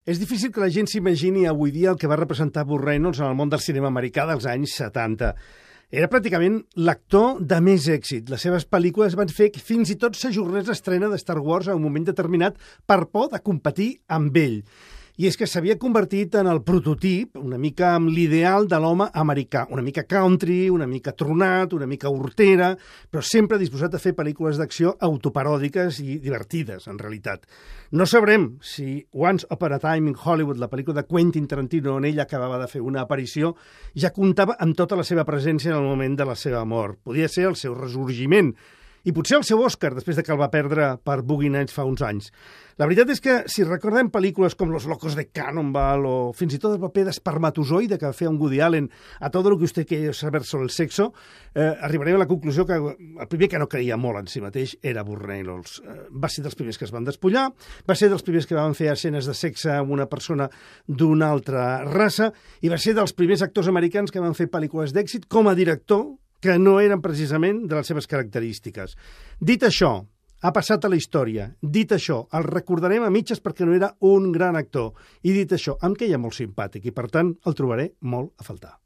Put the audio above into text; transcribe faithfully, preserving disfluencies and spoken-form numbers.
És difícil que la gent s'imagini avui dia el que va representar Burt Reynolds en el món del cinema americà dels anys setanta. Era pràcticament l'actor de més èxit. Les seves pel·lícules van fer que fins i tot s'ajornés l'estrena de Star Wars en un moment determinat per por de competir amb ell. I és que s'havia convertit en el prototip, una mica amb l'ideal de l'home americà, una mica country, una mica tronat, una mica hortera, però sempre disposat a fer pel·lícules d'acció autoparòdiques i divertides, en realitat. No sabrem si Once Upon a Time in Hollywood, la pel·lícula de Quentin Tarantino, on ell acabava de fer una aparició, ja comptava amb tota la seva presència en el moment de la seva mort. Podia ser el seu ressorgiment, i potser el seu Òscar, després de que el va perdre per Boogie Nights fa uns anys. La veritat és que, si recordem pel·lícules com Los Locos de Cannonball o fins i tot el paper d'espermatozoide que va fer un Woody Allen a Todo lo que usted quiere saber sobre el sexo, eh, arribarem a la conclusió que el primer que no creia molt en si mateix era Burt Reynolds. Eh, va ser dels primers que es van despullar, va ser dels primers que van fer escenes de sexe amb una persona d'una altra raça i va ser dels primers actors americans que van fer pel·lícules d'èxit com a director, que no eren precisament de les seves característiques. Dit això, ha passat a la història. Dit això, el recordarem a mitges perquè no era un gran actor. I dit això, em queia molt simpàtic i, per tant, el trobaré molt a faltar.